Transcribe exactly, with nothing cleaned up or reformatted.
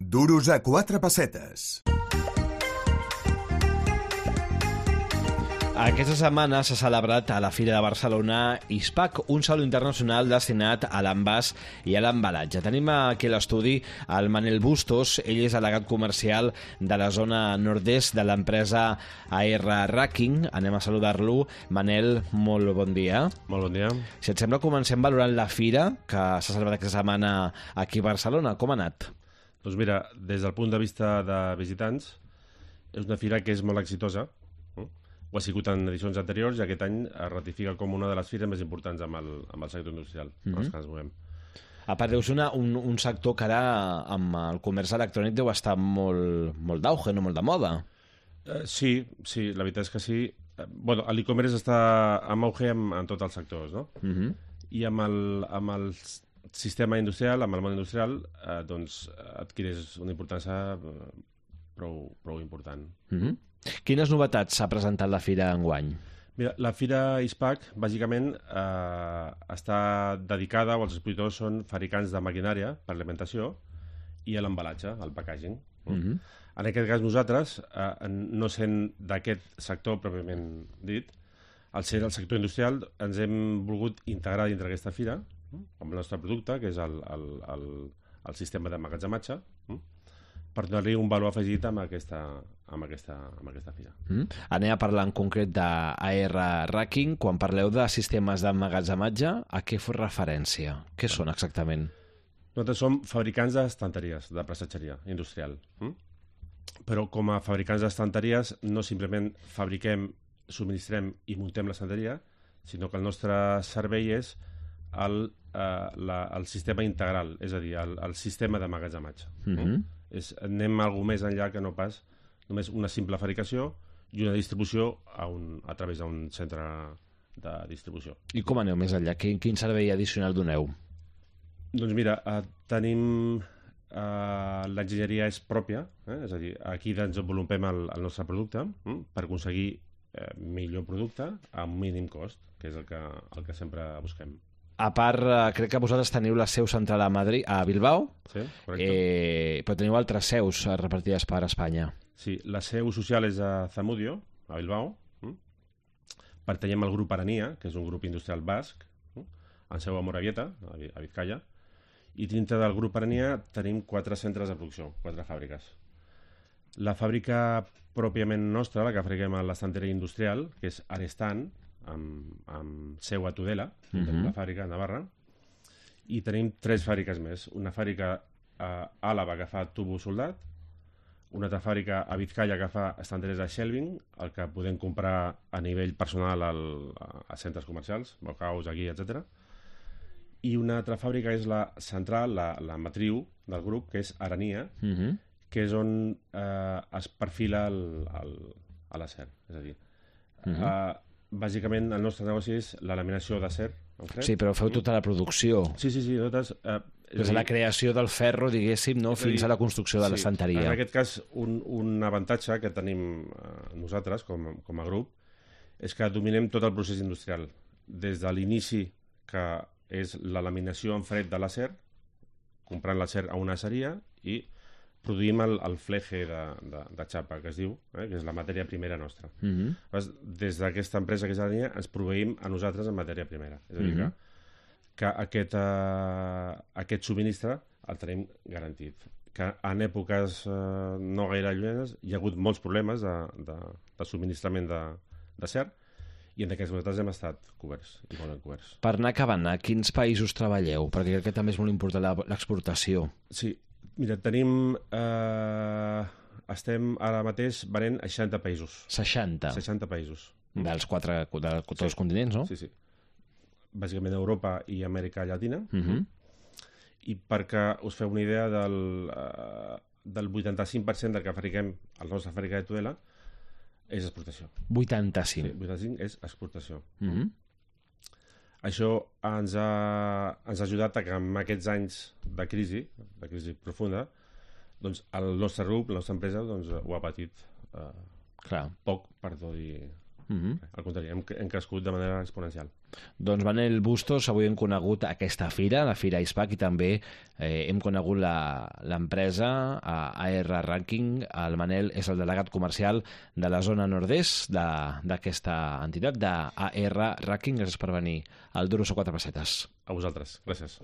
Duros a quatre pessetes. Aquesta setmana s'ha celebrat a la Fira de Barcelona ISPAC, un saló internacional destinat a l'envàs i a l'embalatge. Tenim aquí a l'estudi el Manel Bustos, ell és delegat comercial de la zona nord-est de l'empresa A R Racking. Anem a saludar-lo. Manel, molt bon dia. Molt bon dia. Si et sembla, comencem valorant la fira que s'ha celebrat aquesta setmana aquí a Barcelona. Com ha anat? Doncs mira, des del punt de vista de visitants, és una fira que és molt exitosa. Ho ha sigut en edicions anteriors i aquest any es ratifica com una de les fires més importants amb el, amb el sector industrial, mm -hmm. en els que ens movem. A part, deu ser una, un, un sector que ara amb el comerç electrònic deu estar molt, molt d'auge, no molt de moda. Uh, sí, sí, la veritat és que sí. Uh, bueno, l'e-commerce està en auge en, en tots els sectors, no? Mm -hmm. I amb el, amb el sistema industrial, amb el món industrial, eh, doncs adquireix una importància prou, prou important. Mm -hmm. Quines novetats s'ha presentat la fira enguany? Mira, la fira ISPAC, bàsicament, eh, està dedicada, o els expositors són fabricants de maquinària per alimentació i a l'embalatge, al packaging. Mm-hmm. En aquest cas nosaltres, eh, no sent d'aquest sector pròpiament dit, al ser el sector industrial, ens hem volgut integrar dintre aquesta fira amb el nostre producte, que és el, el, el, el sistema d'emmagatzematge, per donar-li un valor afegit amb aquesta, amb aquesta, amb aquesta fira. Mm. Anem a parlar en concret d'A R Racking. Quan parleu de sistemes d'emmagatzematge, a què fos referència? Què són exactament? Nosaltres som fabricants d'estanteries, de prestatgeria industrial. Mm? Però com a fabricants d'estanteries no simplement fabriquem, subministrem i muntem l'estanteria, sinó que el nostre servei és el, eh, la, el sistema integral, és a dir, el, el sistema d'emmagatzematge. Mm-hmm. Mm? És, anem alguna més enllà que no pas només una simple fabricació i una distribució a, un, a través d'un centre de distribució. I com aneu més enllà? Quin, quin servei addicional doneu? Doncs mira, eh, tenim... Eh, l'enginyeria és pròpia, eh? És a dir, aquí desenvolupem el, el nostre producte eh? per aconseguir eh, millor producte a un mínim cost, que és el que, el que sempre busquem. A part, eh, crec que vosaltres teniu la seu central a Madrid, a Bilbao, sí, correcte. Eh, però teniu altres seus repartides per Espanya. Sí, la seu social és a Zamudio, a Bilbao. Mm? Pertanyem al grup Arania, que és un grup industrial basc, mm? en seu a Moravieta, a Vizcaya, i dintre del grup Arania tenim quatre centres de producció, quatre fàbriques. La fàbrica pròpiament nostra, la que fabriquem a l'estanteria industrial, que és Arestan, amb, amb seu a Tudela, mm-hmm. la fàbrica de Navarra, i tenim tres fàbriques més. Una fàbrica a Àlava que fa tubo soldat, una altra fàbrica a Vizcaya que fa estanteries de shelving, el que podem comprar a nivell personal al, a centres comercials, Bauhaus, aquí, etcètera. I una altra fàbrica és la central, la, la matriu del grup, que és Arania, mm-hmm. que és on eh, es perfila el, el, a l'acer. És a dir, mm-hmm. eh, bàsicament el nostre negoci és la laminació d'acer. Sí, però feu tota la producció. Sí, sí, sí. Nosaltres, eh, Des de la creació del ferro, diguéssim, no? Fins a la construcció de sí, l'estanteria. En aquest cas, un, un avantatge que tenim eh, nosaltres com, com a grup és que dominem tot el procés industrial. Des de l'inici, que és la laminació en fred de l'acer, comprant l'acer a una aceria, i produïm el, el fleje de, de, de xapa, que es diu, eh, que és la matèria primera nostra. Mm-hmm. Des d'aquesta empresa que és Arania ens proveïm a nosaltres en matèria primera. És a dir, mm-hmm. que, que aquest, uh, aquest subministre el tenim garantit. Que en èpoques uh, no gaire llunyes hi ha hagut molts problemes de, de, de subministrament d'acer, i en aquests moments hem estat coberts, i molt ben coberts. Per anar acabant, a quins països treballeu? Perquè crec que també és molt important l'exportació. Sí, mira, tenim... Eh, estem ara mateix venent a seixanta països. seixanta? seixanta països. Dels quatre, de tots els sí. continents, no? Sí, sí. Bàsicament Europa i Amèrica Llatina. Uh-huh. I perquè us feu una idea del, uh, del vuitanta-cinc per cent del que fabriquem al nostre fàbrica de Tudela és exportació. vuitanta-cinc? Sí, vuitanta-cinc és exportació. Uh-huh. Això ens ha, ens ha ajudat a que en aquests anys de crisi, de crisi profunda, doncs el nostre grup, la nostra empresa, doncs, ho ha patit eh, Clar. poc, per no dir Mm-hmm. Al contrari, hem, hem crescut de manera exponencial. Doncs Manel Bustos, avui hem conegut aquesta fira, la Fira ISPAC, i també eh, hem conegut l'empresa A R Ranking. El Manel és el delegat comercial de la zona nord-est d'aquesta entitat, d'A R Ranking. Gràcies per venir al Duros o quatre pessetes. A vosaltres. Gràcies.